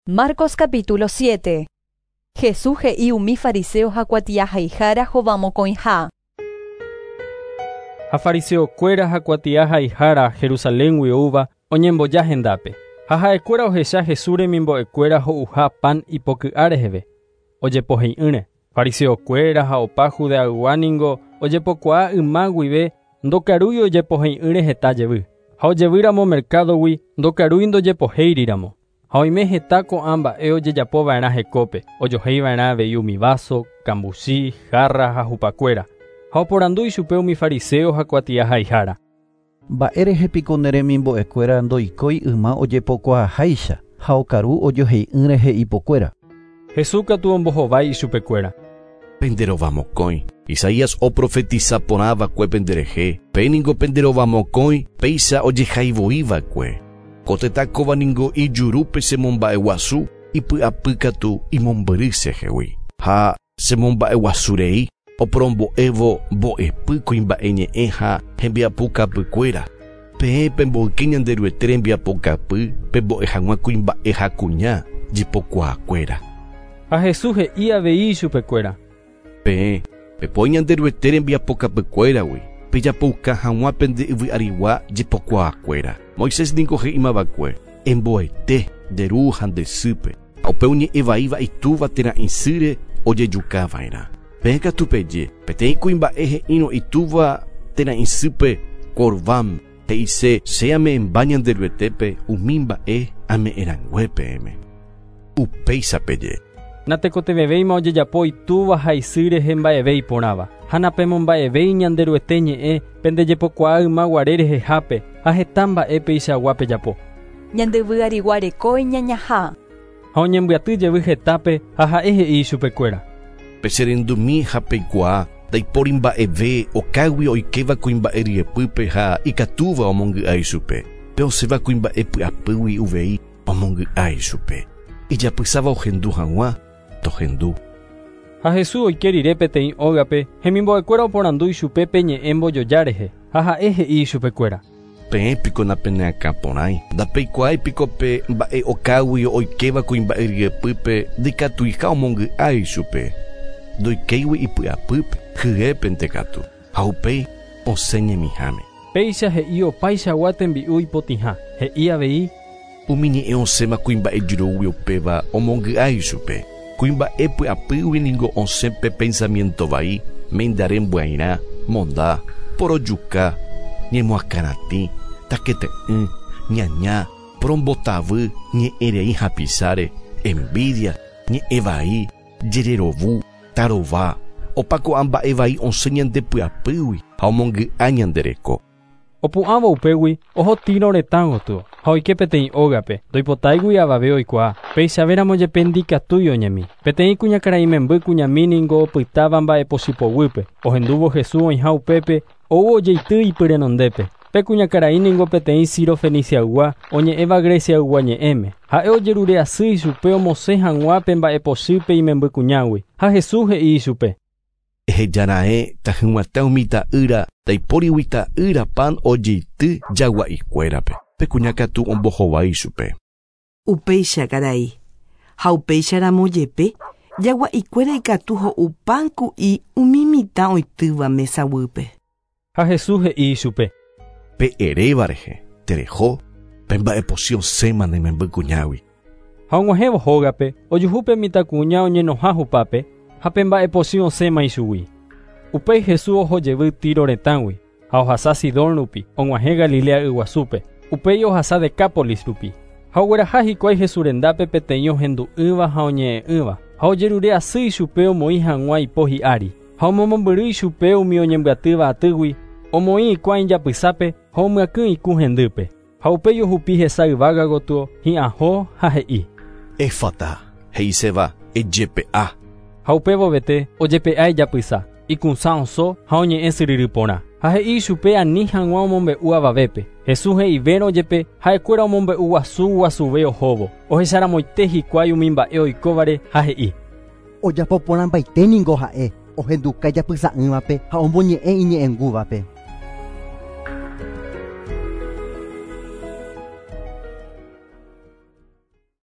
Marcos capítulo 7. Jesús he'i umi fariseo ha kuatiahaihára hovamokõiha. Ha fariseokuéra ha kuatiahaihára Jerusaléngui oúva oñemboja hendápe. Ha ha'ekuéra ohecha Jesús remimbo'ekuéra ho'uha pan ipoky'a reheve. Ojepohei'ỹre. Fariseokuéra ha opa Judeaygua ningo ojepokuaa yma guive ndokarúi ojepohei'ỹre heta jevy. Ha ojevýramo mercadogui ndokarúi ndojepohéiriramo. Ha oime heta ko'ã mba'e ojejapova'erã hekópe, ojohéiva'erã avei umi vaso, kambuchi, jarra ha hupakuéra. Ha oporandu ichupe umi fariseo ha kuatiahaihára. Mba'érehe piko ne remimbo'ekuéra ndoikói yma ojepokuaaháicha ha okaru ojohei'ỹ rehe ipokuéra. Jesús katu ombohovái ichupekuéra. Penderovamokõi. Isaías oprofetiza porãva'ekue penderehe, pe ningo penderovamokõi péicha ojehaivoiva'ekue. Ko tetã kóva ningo ijurúpe chemomba'eguasu ipy'apýkatu imombyry chehegui. Ha chemomba'eguasurei oporombo'évo mbo'epy kuimba'e ñe'ẽ ha hembiapokapykuéra. Peẽ pemboyke Ñanderuete rembiapokapy pembo'e hag̃ua kuimba'e ha kuña jepokuaakuéra. Ha Jesús he'i avei ichupekuéra. Peẽ pepoi Ñanderuete rembiapokapykuéragui pejapouka hag̃ua pende yvy'arigua jepokuaakuéra. Moisés ningo he'imava'ekue emboete nde ru ha nde sýpe ha upe oñe'ẽvaíva itúva térã isýre ojejukava'erã. Peẽ katu peje peteĩ kuimba'e he'írõ itúva térã isýpe Corbán he'ise che ame'ẽmba Ñanderuetépe umi mba'e ame'ẽrangue peẽme. Upéicha peje. Natekotevẽvéima ojejapo itúva ha isy rehe mba'eve iporãva. Ha napemomba'evéi Ñanderuete ñe'ẽ pendejepokuaa ymaguare rehehápe ha heta mba'e peichagua pejapo. Ñandevy'arigua reko iñañaha. Ha oñembyaty jevy hetápe ha ha'e he'i ichupekuéra. Pecherendumi ha peikuaa ndaipóri mba'eve okágui oikéva kuimba'e ryepýpe ha ikatúva omongy'a ichupe. Pe osẽva kuimba'e py'apýgui uvei omongy'a ichupe. Ijapysáva ohendu hag̃ua tohendu. Ha Jesús oike rire peteĩ ógape hemimbo'ekuéra oporandu ichupe pe ñe'ẽ mbojoja rehe ha ha'e he'i ichupekuéra. Peẽ piko napeneakãporãi ndapeikuaái piko pe mba'e okágui oikéva kuimba'e ryepýpe ndikatuiha omongy'a ichupe. Ndoikéigui ipy'apýpe hyépente katu ha upéi osẽ ñemiháme. Péicha he'i opaichagua tembi'u ipotĩha. He'i avei Umi ñe'ẽ osẽma kuimba'e jurúgui upéva omongy'a ichupe. Kuimba'e py'apýgui ningo osẽ pe pensamiento vai, mendare mbyairã, monda, porojuka, ñemoakãratĩ, takete'ỹ, ñaña, porombotavy, ñe'ẽrei hapisáre, envidia, ñe'ẽ vai, jererovu, tarova, opa ko'ã mba'e vai osẽ ñande py'apýgui ha omongy'a ñande reko. Opu'ãvo upégui oho Tiro retã gotyo ha oike peteĩ ógape ndoipotáigui avave oikuaa. Peichavéramo jepe ndikatúi oñemi. Peteĩ kuñakarai memby kuñami ningo opytáva mba'epochypoguýpe. Ohendúvo Jesús oĩha upépe ou ojeity ipyrenondépe. Pe kuñakarai ningo peteĩ Sirofeniciaygua oñe'ẽva Greciaygua ñe'ẽme. Ha'e ojerure asy ichupe omosẽ hag̃ua pe mba'epochýpe imemby kuñágui. Ha Jesús he'i ichupe. Ehejara'e tahyg̃uatã umi ta'ýra ndaipórigui ta'ýra pan ojeity jagua'ikuérape. Pe kuña katu ombohovái ichupe. Upéicha karai. Ha upéicharamo jepe jagua'ikuéra ikatu ho'u pan ku'i umi mitã oitýva mesaguýpe. Ha Jesús he'i ichupe. Pe eréva rehe tereho pe mba'epochy osẽma ne memby kuñágui. Ha og̃uahẽvo hógape ojuhu pe mitãkuña oñenoha hupápe ha pe mba'epochy osẽma ichugui. Upéi Jesús oho jevy Tiro retãgui ha ohasa Sidón rupi og̃uahẽ Galilea yguasúpe. Upéi ohasa Decápolis rupi. Ha ogueraha hikuái Jesús rendápe peteĩ ohendu'ỹva ha oñe'ẽ'ỹva. Ha ojerure asy ichupe omoĩ hag̃ua ipo hi'ári. Ha omomombyry ichupe umi oñembyatýva atýgui omoĩ hikuái ijapysápe ha omyakỹ ikũ hendýpe. Ha upéi ohupi hesa yvága gotyo hi'ãho ha he'i. Éfata he'iséva ejepe'a. Ha upévovete ojepe'a ijapysa, ikũsã oso ha oñe'ẽ syryry porã. Ha he'i ichupe ani hag̃ua omombe'u avavépe. Jesús he'ivérõ jepe ha'ekuéra omombe'u guasu guasuve ohóvo. Ohecharamoite hikuái umi mba'e oikóvare ha he'i. Ojapo porãmbaite ningo ha'e ohenduka ijapysa'ỹvape ha omboñe'ẽ iñe'ẽngúvape.